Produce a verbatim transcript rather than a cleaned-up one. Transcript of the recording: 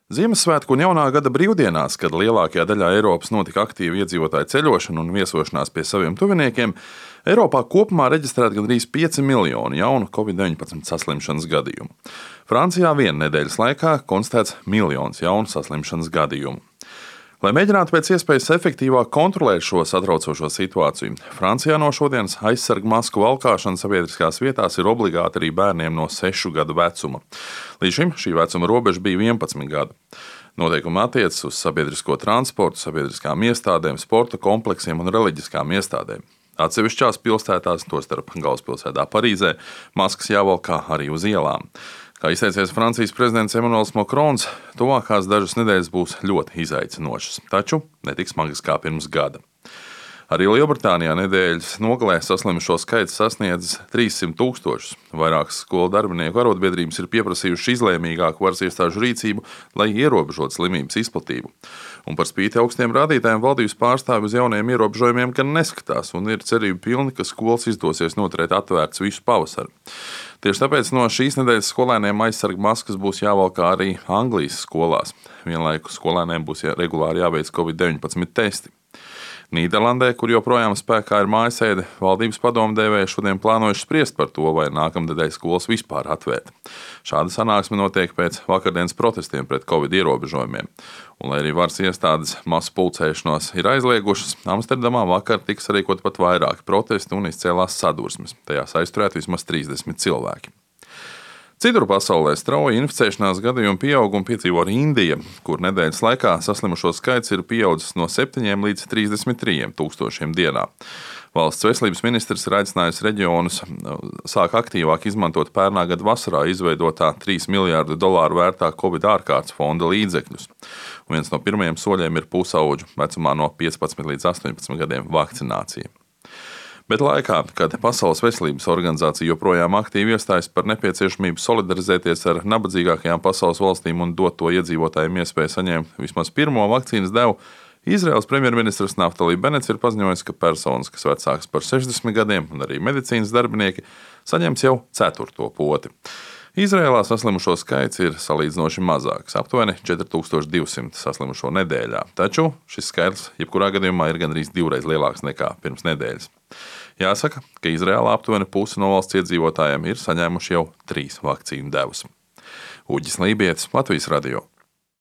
Ziemassvētku un jaunā gada brīvdienās, kad lielākajā daļā Eiropas notika aktīva iedzīvotāju ceļošana un viesošanās pie saviem tuviniekiem, Eiropā kopumā reģistrēta gandrīz pieci miljoni jaunu covid deviņpadsmit saslimšanas gadījumu. Francijā viena nedēļas laikā konstatēts miljons jaunu saslimšanas gadījumu. Lai mēģinātu pēc iespējas efektīvāk kontrolēt šo satraucošo situāciju, Francijā no šodienas aizsargu masku valkāšana sabiedriskās vietās ir obligāta arī bērniem no sešu gadu vecuma. Līdz šim šī vecuma robeža bija vienpadsmit gadi. Noteikumi attiecas uz sabiedrisko transportu, sabiedriskām iestādēm, sporta kompleksiem un reliģiskām iestādēm. Atsevišķās pilsētās, tostarp galvaspilsētā Parīzē, maskas jāvalkā arī uz ielām. Kā izteicies Francijas prezidents Emmanuels Macrons, tuvākās dažas nedēļas būs ļoti izaicinošas, taču ne tik smagas kā pirms gada. Arī Lielbritānijā nedēļas nogalē saslimušo skaits sasniedzis trīssimt tūkstošus. Vairākas skolu darbinieku arotbiedrības ir pieprasījušas izlēmīgāku varas iestāžu rīcību, lai ierobežotu slimības izplatību. Un par spīti augstiem rādītājiem valdības pārstāvi uz jauniem ierobežojumiem gan neskatās un ir cerība pilni, ka skolas izdosies noturēt atvērts visu pavasaru. Tieši tāpēc no šīs nedēļas skolēniem aizsargu maskas būs jāvalkā arī Anglijas skolās. Vienlaikus skolēniem būs jā, regulāri jāveic covid deviņpadsmit testi. Nīderlandē, kur joprojām spēkā ir mājasēde, valdības padomdevēji šodien plānojuši spriest par to, vai nākamnedēļ skolas vispār atvērt. Šāda sanāksme notiek pēc vakardienas protestiem pret covid ierobežojumiem. Un, lai arī varas iestādes masu pulcēšanos ir aizliegušas, Amsterdamā vakar tika sarīkot pat vairāki protesti un izcēlās sadursmes. Tajās aizturēti vismaz trīsdesmit cilvēki. Citur pasaulē strauji inficēšanās gadījumu pieaugumu piedzīvo arī Indija, kur nedēļas laikā saslimušo skaits ir pieaudzis no septiņiem līdz trīsdesmit trim tūkstošiem dienā. Valsts veselības ministrs ir aicinājis reģionus sāk aktīvāk izmantot pērnā gada vasarā izveidotā trīs miljārdu dolāru vērtā Covid ārkārtas fonda līdzekļus. Un viens no pirmajiem soļiem ir pusauģu vecumā no piecpadsmit līdz astoņpadsmit gadiem vakcinācija. Bet laikā, kad Pasaules veselības organizācija joprojām aktīvi iestājas par nepieciešamību solidarizēties ar nabadzīgākajām pasaules valstīm un dot to iedzīvotājiem iespēju saņemt vismaz pirmo vakcīnas devu, Izraēlas premjerministrs Naftali Benets ir paziņojis, ka personas, kas vecākas par sešdesmit gadiem un arī medicīnas darbinieki, saņems jau ceturto poti. Izraēlā saslimušo skaits ir salīdzinoši mazāks, aptuveni četri tūkstoši divsimt saslimušo nedēļā, taču šis skaitlis jebkurā gadījumā ir gandrīz divreiz lielāks nekā pirms nedēļas. Jāsaka, ka Izraēlā aptuveni puse no valsts iedzīvotājiem ir saņēmuši jau trīs vakcīnu devas. Uģis Lībietis, Latvijas radio.